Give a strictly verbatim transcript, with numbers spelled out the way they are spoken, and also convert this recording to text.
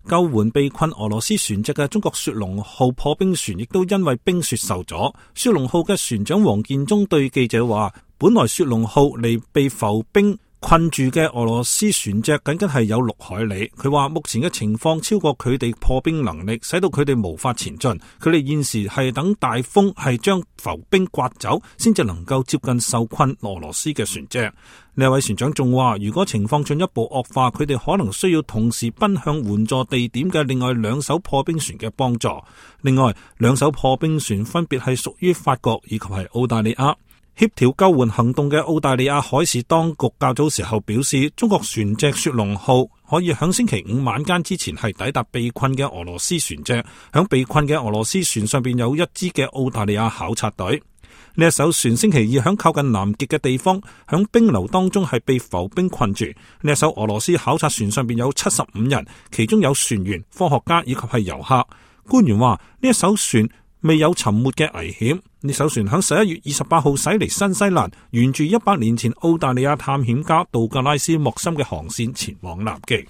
救援被困俄羅斯船隻嘅中國雪龍號破冰船亦都因為冰雪受阻。雪龍號嘅船長黃建忠對記者話，本來雪龍號離被浮冰困住嘅俄羅斯船隻僅僅係有六海里。佢話目前嘅情況超過佢哋破冰能力，使到佢哋無法前進。佢哋現時係等大風係將浮冰刮走，先至能夠接近受困俄羅斯嘅船隻。呢位船長仲話，如果情況進一步惡化，佢哋可能需要同時奔向援助地點嘅另外兩艘破冰船嘅幫助。另外兩艘破冰船分別係屬於法國以及係澳大利亞。協調救援行動嘅澳大利亞海事當局較早時候表示，中國船隻雪龍號可以響星期五晚間之前係抵達被困嘅俄羅斯船隻。響被困嘅俄羅斯船上邊有一支嘅澳大利亞考察隊。呢一艘船星期二響靠近南極嘅地方，響冰流當中係被浮冰困住。呢一艘俄羅斯考察船上邊有七十五人，其中有船員、科學家以及係遊客。官員話呢一艘船未有沉沒嘅危險。呢艘船響十一月二十八號駛離新西蘭，沿住一百年前澳大利亞探險家道格拉斯莫森嘅航線前往南極。